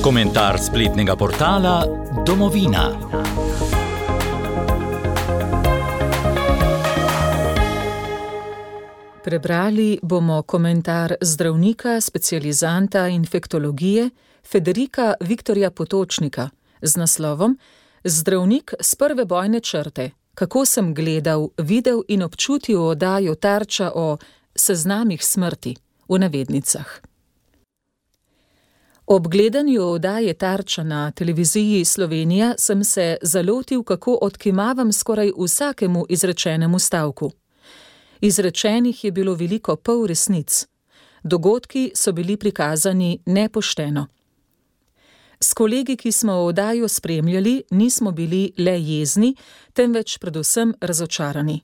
Komentar spletnega portala Domovina. Prebrali bomo komentar zdravnika, specializanta infektologije Federika Viktorja Potočnika z naslovom Zdravnik s prve bojne črte. Kako sem gledal, videl in občutil oddajo Tarča o seznamih smrti, v navednicah. Ob gledanju oddaje Tarča na televiziji Slovenija sem se zalotil, kako odkimavam skoraj vsakemu izrečenemu stavku. Izrečenih je bilo veliko polresnic. Dogodki so bili prikazani nepošteno. S kolegi, ki smo oddajo spremljali, nismo bili le jezni, temveč predvsem razočarani.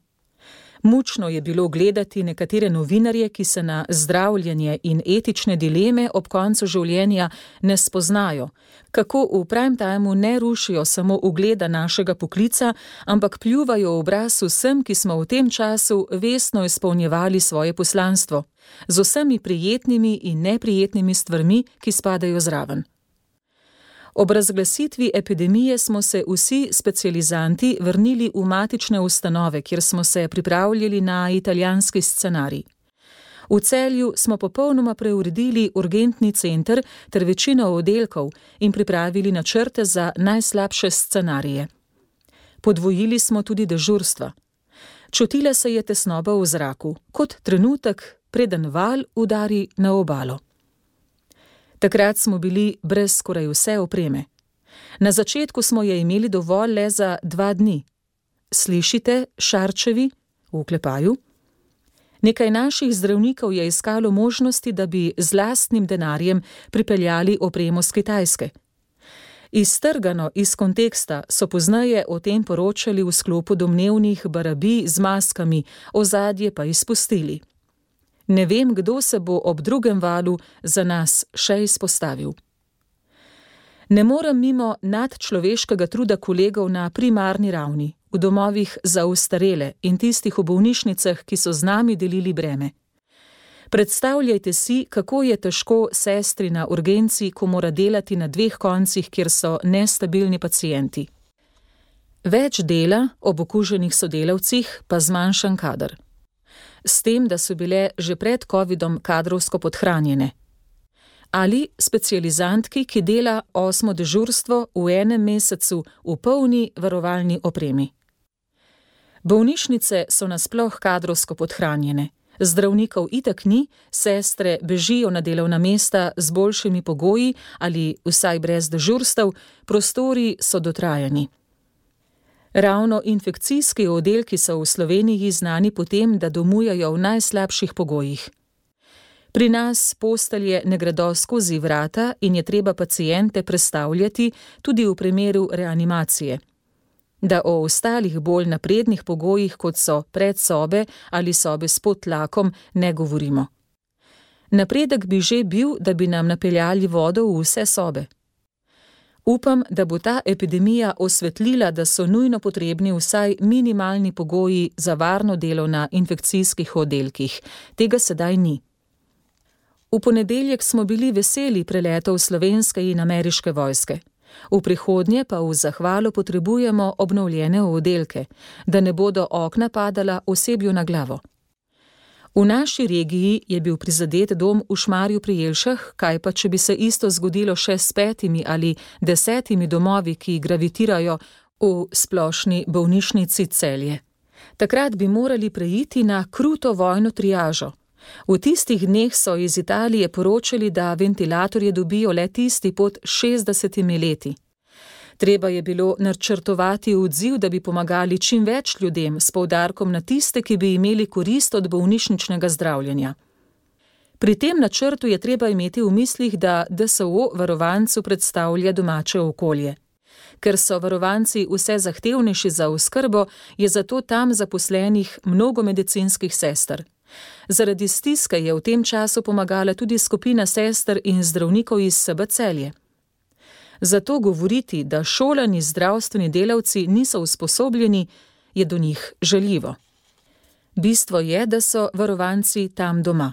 Mučno je bilo gledati nekatere novinarje, ki se na zdravljenje in etične dileme ob koncu življenja ne spoznajo, kako v prime timeu ne rušijo samo ugleda našega poklica, ampak pljuvajo v obraz vsem, ki smo v tem času vestno izpolnjevali svoje poslanstvo, z vsemi prijetnimi in neprijetnimi stvarmi, ki spadajo zraven. Ob razglasitvi epidemije smo se vsi specializanti vrnili v matične ustanove, kjer smo se pripravljali na italijanski scenarij. V Celju smo popolnoma preuredili urgentni center ter večino oddelkov in pripravili načrte za najslabše scenarije. Podvojili smo tudi dežurstva. Čutila se je tesnoba v zraku, kot trenutek, preden val udari na obalo. Takrat smo bili brez skoraj vse opreme. Na začetku smo je imeli dovolj le za 2 dni. Slišite, Šarčevi, v oklepaju? Nekaj naših zdravnikov je iskalo možnosti, da bi z lastnim denarjem pripeljali opremo s Kitajske. Iztrgano iz konteksta so pozneje o tem poročali v sklopu domnevnih barabij z maskami, ozadje pa izpustili. Ne vem, kdo se bo ob drugem valu za nas še izpostavil. Ne morem mimo nadčloveškega truda kolegov na primarni ravni, v domovih za ostarele in tistih v bolnišnicah, ki so z nami delili breme. Predstavljajte si, kako je težko sestri na urgenci, ko mora delati na 2 koncih, kjer so nestabilni pacienti. Več dela ob okuženih sodelavcih, pa zmanjšan kader. S tem, da so bile že pred covidom kadrovsko podhranjene. Ali specializantki, ki dela 8. dežurstvo v enem mesecu v polni varovalni opremi. Bolnišnice so nasploh kadrovsko podhranjene. Zdravnikov itak ni, sestre bežijo na delovna mesta z boljšimi pogoji ali vsaj brez dežurstev, prostori so dotrajani. Ravno infekcijski oddelki so v Sloveniji znani po tem, da domujajo v najslabših pogojih. Pri nas postelje ne gredo skozi vrata in je treba paciente prestavljati tudi v primeru reanimacije. Da o ostalih bolj naprednih pogojih, kot so predsobe ali sobe s podtlakom, ne govorimo. Napredek bi že bil, da bi nam napeljali vodo v vse sobe. Upam, da bo ta epidemija osvetlila, da so nujno potrebni vsaj minimalni pogoji za varno delo na infekcijskih oddelkih. Tega sedaj ni. V ponedeljek smo bili veseli preletov slovenske in ameriške vojske. V prihodnje pa v zahvalo potrebujemo obnovljene oddelke, da ne bodo okna padala osebju na glavo. V naši regiji je bil prizadet dom v Šmarju pri Jelšah, kaj pa če bi se isto zgodilo še s 5 ali 10 domovi, ki gravitirajo v splošni bolnišnici Celje. Takrat bi morali preiti na kruto vojno triažo. V tistih dneh so iz Italije poročali, da ventilatorje dobijo le tisti pod 60 leti. Treba je bilo načrtovati odziv, da bi pomagali čim več ljudem, s poudarkom na tiste, ki bi imeli korist od bolnišničnega zdravljenja. Pri tem načrtu je treba imeti v mislih, da DSO varovancu predstavlja domače okolje. Ker so varovanci vse zahtevnejši za oskrbo, je zato tam zaposlenih mnogo medicinskih sester. Zaradi stiske je v tem času pomagala tudi skupina sester in zdravnikov iz SB Celje. Zato govoriti, da šolani zdravstveni delavci niso usposobljeni, je do njih žaljivo. Bistvo je, da so varovanci tam doma.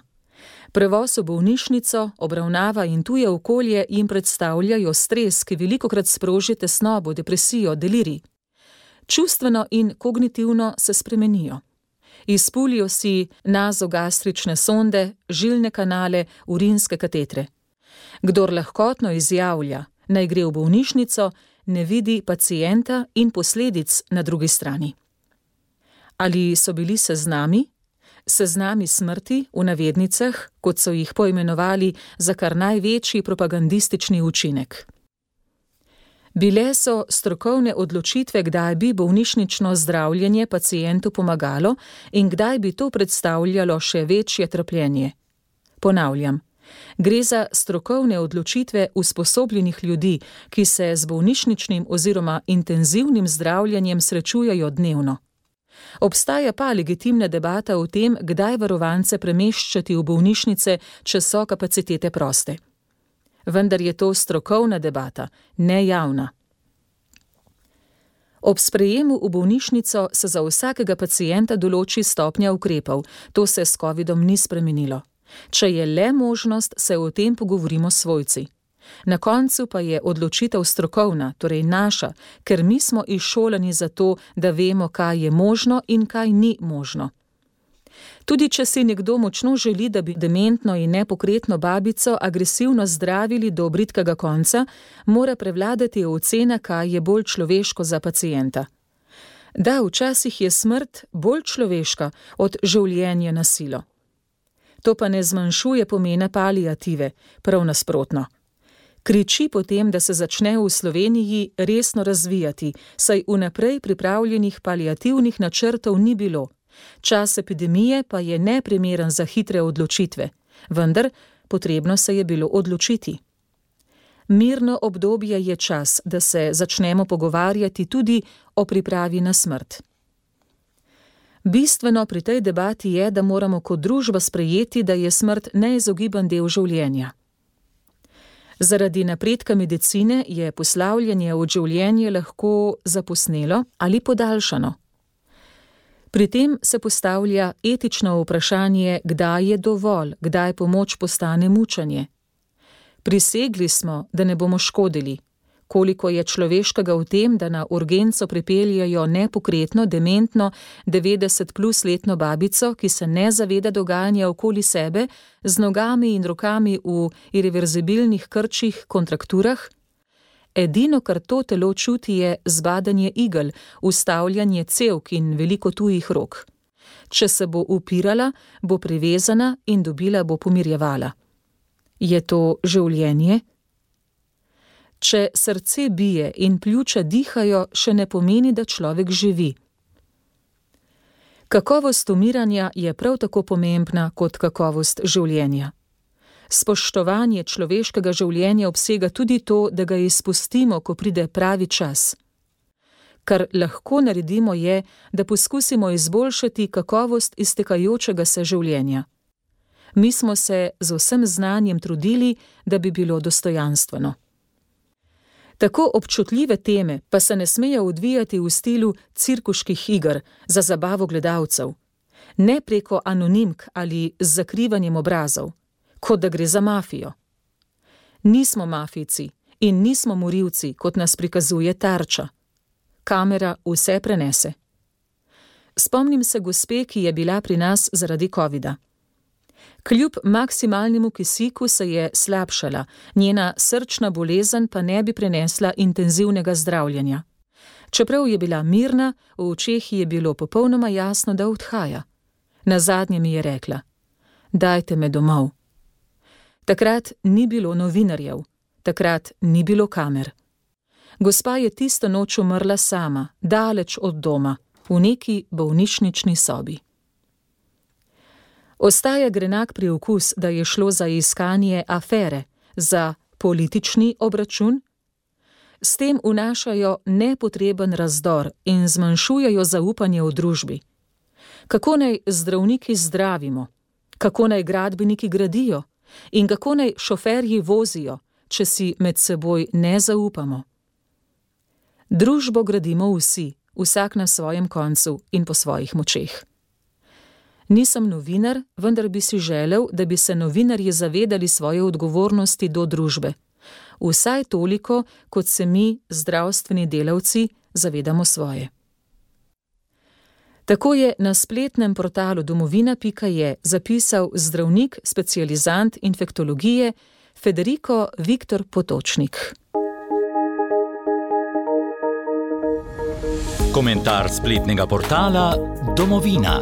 Prevoz v bolnišnico, obravnava in tuje okolje jim predstavljajo stres, ki velikokrat sproži tesnobo, depresijo, delirij. Čustveno in kognitivno se spremenijo. Izpulijo si nazogastrične sonde, žilne kanale, urinske katetre. Kdor lahkotno izjavlja, naj gre v bolnišnico, ne vidi pacienta in posledic na drugi strani. Ali so bili seznami? Seznami smrti, v navednicah, kot so jih poimenovali za kar največji propagandistični učinek. Bile so strokovne odločitve, kdaj bi bolnišnično zdravljenje pacientu pomagalo in kdaj bi to predstavljalo še večje trpljenje. Ponavljam, gre za strokovne odločitve usposobljenih ljudi, ki se z bolnišničnim oziroma intenzivnim zdravljenjem srečujejo dnevno. Obstaja pa legitimna debata o tem, kdaj varovance premeščati v bolnišnice, če so kapacitete proste. Vendar je to strokovna debata, ne javna. Ob sprejemu v bolnišnico se za vsakega pacienta določi stopnja ukrepov, to se s covidom ni spremenilo. Če je le možnost, se o tem pogovorimo s svojci. Na koncu pa je odločitev strokovna, torej naša, ker mi smo izšolani za to, da vemo, kaj je možno in kaj ni možno. Tudi če si nekdo močno želi, da bi dementno in nepokretno babico agresivno zdravili do bridkega konca, mora prevladati ocena, kaj je bolj človeško za pacienta. Da, včasih je smrt bolj človeška od življenja na silo. To pa ne zmanjšuje pomena paliative, prav nasprotno. Kriči potem, da se začne v Sloveniji resno razvijati, saj vnaprej pripravljenih paliativnih načrtov ni bilo. Čas epidemije pa je neprimeren za hitre odločitve, vendar potrebno se je bilo odločiti. Mirno obdobje je čas, da se začnemo pogovarjati tudi o pripravi na smrt. Bistveno pri tej debati je, da moramo kot družba sprejeti, da je smrt neizogiben del življenja. Zaradi napredka medicine je poslavljanje v življenje lahko zaposnelo ali podaljšano. Pri tem se postavlja etično vprašanje, kdaj je dovolj, kdaj pomoč postane mučenje. Prisegli smo, da ne bomo škodili. Koliko je človeškega v tem, da na urgenco pripeljejo nepokretno, dementno, 90+ letno babico, ki se ne zaveda dogajanja okoli sebe, z nogami in rokami v irreverzibilnih krčih, kontrakturah? Edino, kar to telo čuti, je zbadanje igel, ustavljanje cevk in veliko tujih rok. Če se bo upirala, bo privezana in dobila bo pomirjevala. Je to življenje? Če srce bije in pljuča dihajo, še ne pomeni, da človek živi. Kakovost umiranja je prav tako pomembna kot kakovost življenja. Spoštovanje človeškega življenja obsega tudi to, da ga izpustimo, ko pride pravi čas. Kar lahko naredimo je, da poskusimo izboljšati kakovost iztekajočega se življenja. Mi smo se z vsem znanjem trudili, da bi bilo dostojanstveno. Tako občutljive teme pa se ne smejo odvijati v stilu cirkuških iger za zabavo gledalcev, ne preko anonimk ali z zakrivanjem obrazov, kot da gre za mafijo. Nismo mafijci in nismo morilci, kot nas prikazuje Tarča. Kamera vse prenese. Spomnim se gospe, ki je bila pri nas zaradi covida. Kljub maksimalnemu kisiku se je slabšala, njena srčna bolezen pa ne bi prenesla intenzivnega zdravljenja. Čeprav je bila mirna, v očeh je bilo popolnoma jasno, da odhaja. Nazadnje mi je rekla: "Dajte me domov." Takrat ni bilo novinarjev, takrat ni bilo kamer. Gospa je tisto noč umrla sama, daleč od doma, v neki bolnišnični sobi. Ostaja grenak priokus, da je šlo za iskanje afere, za politični obračun. S tem vnašajo nepotreben razdor in zmanjšujejo zaupanje v družbi. Kako naj zdravniki zdravimo? Kako naj gradbeniki gradijo? In kako naj šoferji vozijo, če si med seboj ne zaupamo? Družbo gradimo vsi, vsak na svojem koncu in po svojih močeh. Nisem novinar, vendar bi si želel, da bi se novinarji zavedali svoje odgovornosti do družbe. Vsaj toliko, kot se mi, zdravstveni delavci, zavedamo svoje. Tako je na spletnem portalu domovina.je zapisal zdravnik, specializant infektologije Federico Viktor Potočnik. Komentar spletnega portala Domovina.